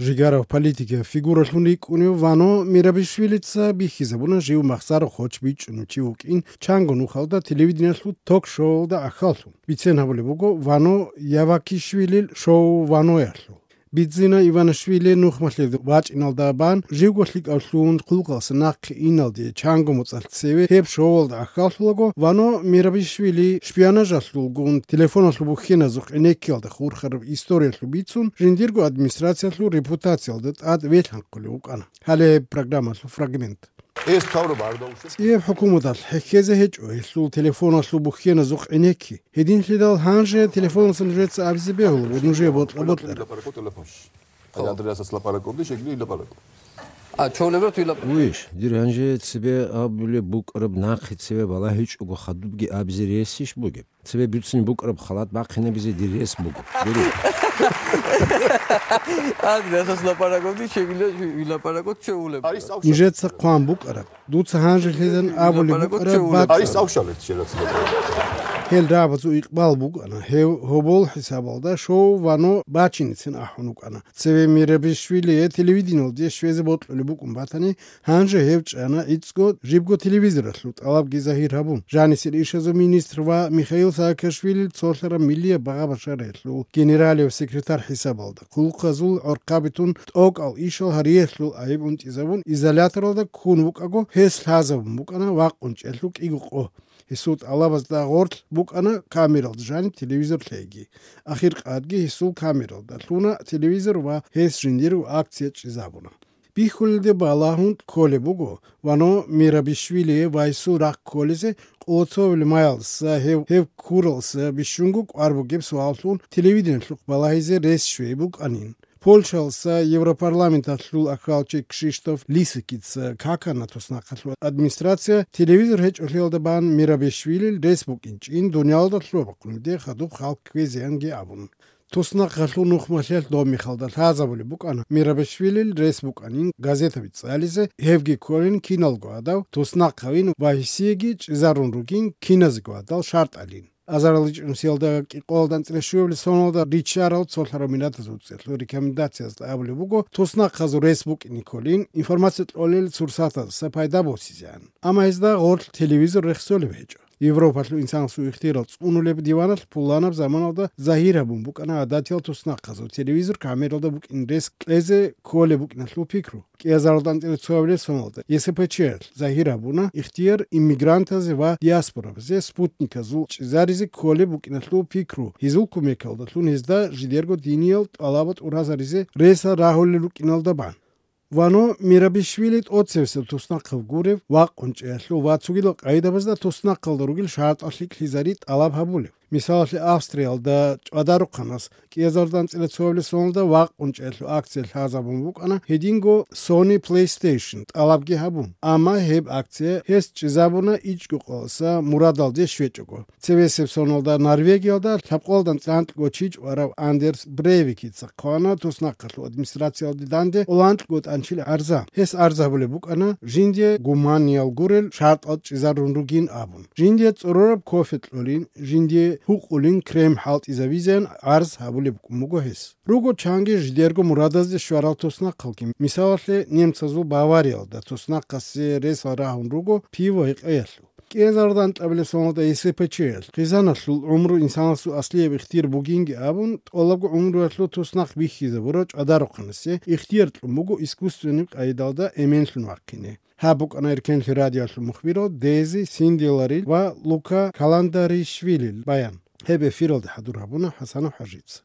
Ժիգարով պոլիտիկա ֆիգուրալունի կունիու վանո Միրաբիշվիլիցա բիխիզաբունը ժիու մախսարը խոչ բիճնուչի ուկին չանգոն ուխալդա տելևիդենալու թոք շոուլդա ախալու բիցեն հավոլի բուգո վանո Явակիշվիլիլ շոու վանոյալու Բիձինա Իվանաշվիլի նուխմաշլեդ վաճ ինալդաբան ժիգոշլիկ ալլուն խուլկալս նախ ինալդի չանգո մոցալցեվի հեբ շոուլդա ախալուգո վանո Միրաբիշվիլի շպիանաժալուգուն տելեֆոնալու բուխինա զուխ էնեկյալդա խուրխարով իսტორիալու բիցուն ժինդիրգո ադմինիստրացիալու ռեպուտացիալդա ад ветհանկոլու կան հալե պրոգրամալու ֆրագմենտ Ես քավրը բարդաուշ Եվ հոկումուտալ հեքեզը հեճու տելեֆոնալու բուխինա զուխ էնեկի Hedin lidal hanže telefon sanjetse abzibehul vodnuje botler Անդրեասը սլապարակորդի շեգլի լապարակ Չոլևր թույլ Ուիշ դիրանջե ցբե աբուլե բուկրբ նախի ցբե բալա հիչ ուգ խադուբգի абзирեսիշ բուգե ցբե բյուցին բուկրբ խալատ բախինե բիզե դիրես բուգ գերի Անդրեասը սլապարակորդի շեգլի լապարակոտ չոլևր Նիժեցը қан բուկրբ դուց հանже լիդան աբուլե բուկրբ Արիս ավշալետ շերացել Hel rabatu iqbal bugana hobol hisabalda show vano bachinitsin ahunukana Tseve Mirabishvili televidinol diye shveze botlulu bukun batani hanje hevchana itsko jibgo televizoraslut alab gizahir habun Janisir ishazo ministr va Mikhail Saakashvili tsolhara milliye bagabasharelu generalev sekretar hisabalda kulqazul orqabitun ok al ishal hariyeslu ayib und izavun izolatorda kunvukago hes hazavun bukana vaqunchelluk iguqo Հիսուտ ալավազդա գորտ բուկանը կամերալ դժանի տելևիզոր լեգի Ախիր qadgi հիսուլ կամերալ դալունա տելևիզոր վա հես ժինդիրու ակցիա ճիզաբունա Բիխուլդե բալահուն կոլե բուգո վանո Միրաբիշվիլի վայսու ռակ կոլեզե Օցովլ մայլս հև կուրլս բիշունգուկ արբուգեփ սուալուն տելևիդենլուկ բալահիզե ռես շվեբուկ անին Polşalsa Европарламентатлул акалчы Кшиштоф Лисикиц каканатоснаклу администрация телевизор heç öleldeban Mirabishvili Facebook in dünyada tlobaqunde xadub xalq kvezenge abun Tosnaqallu nuxmashel do Mixaldal hazabuli bukana Mirabishvili Facebook anin gazeta bitsalize Hevgi Korin kinalgo adav Tosnaqavin vahisiegi zarunrugin kinazgo adal şart alin Azaralic Unsilda Qoldan Treshuvli sonunda Richard Solharominata zutsetlu rekomendaciyası abli bugo Tosnaq xazu Facebook Nikolin informatsiya olel sursata sapayda bosizyan Ama ezda gol televizor rexsoli bejo Европалу инсан су ихтирал унулеб диванал пуланаб заманалда захира бун букана адатил Tosnaq xazu televizor камералда бук инрес лезе коле бук наслу пикру Кезардан телецовле сонолда ЕСПЧ захира буна ихтир иммигранта зева диаспора зе спутника зу заризе коле бук наслу пикру хизул кумекалда лун изда жидерго диниал алабат уразаризе реса рахол лук иналда бан Vano Mirabishvilit otsevsel Tosnaq gurев vaqunchelu vatsugilo qaydabazda Tosnaq rugil shart ashlik hizarit alab habulev Misali Avstriyalda adaruqanas Кезардан телецовле sonunda vaqunchelu aksel hazabun bukana hedingo Sony PlayStation alabgi habun ama heb aksiye hes çizabuna iç olsa muradalde şveçogo Sevesep sonunda Norvegiyada tapqoldan tant goçiç varav Anders Breivik tsaqana Tosnaq administratsiyaldi dande olant got anchil arza hes arza bule bukana jindye gumanial gurel shart at çizarunrugin abun jindye tsororab kofetlolin jindye Huqulin krem halt izavizen arz habule mugo hes. Rugo changi jdergo muradazde shvaral Tosnaq qalkim. Misale Nemtsazul Bavariyalda Tosnaq qasi res arahun rugo pivo iqayallu. Кезардан табле сонда ЕСПЧ Qizanasul umru insansu asliye ихтир бугинги абун олагу умру аслу Tosnaq бихизе вороч адаруqnisi ихтир mugo искусственный qaydalda emenslun vaqine. Habuk Amerikan radyosu muxbiro Dezi Sindilari va Luka Kalandarishvili bayan. Hebe firolda hadur habuna Hasan Hajits.